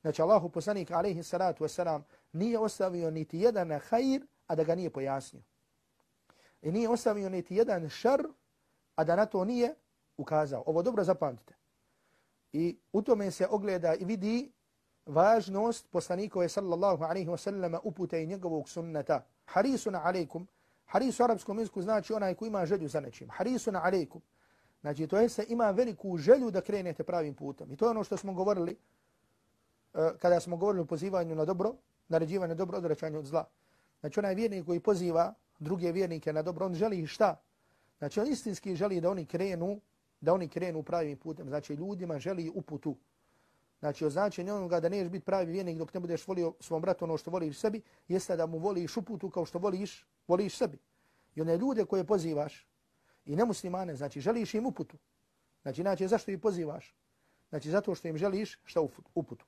Znači Allahu poslanik alejhi salatu vesselam nije ostavio niti jedan hajr, a da ga nije pojasnio. I nije ostavio niti jedan šar, a da na to nije ukazao. Ovo dobro zapamtite. I u tome se ogleda i vidi važnost poslanikove sallallahu alejhi ve sellem upute i njegovog sunneta. Harisun alejkum. Haris u arapskom jeziku znači onaj koji ima želju za nečim. Harisun alejkum. Znači to jeste ima veliku želju da krenete pravim putem. I to je ono što smo govorili kada smo govorili o pozivanju na dobro, naređivanju dobro, odvraćanju od zla. Znači onaj vjernik koji poziva druge vjernike na dobro, on želi šta? Znači on istinski želi da oni krenu pravim putem. Znači ljudima želi uputu. Znači o značenju onoga da neš biti pravi vjernik dok ne budeš volio svom bratu ono što voliš sebi, jeste da mu voliš uputu kao što voliš sebi. I one ljude koje pozivaš i nemuslimane, znači želiš im uputu. Znači zašto ih pozivaš? Znači zato što im želiš šta uputu.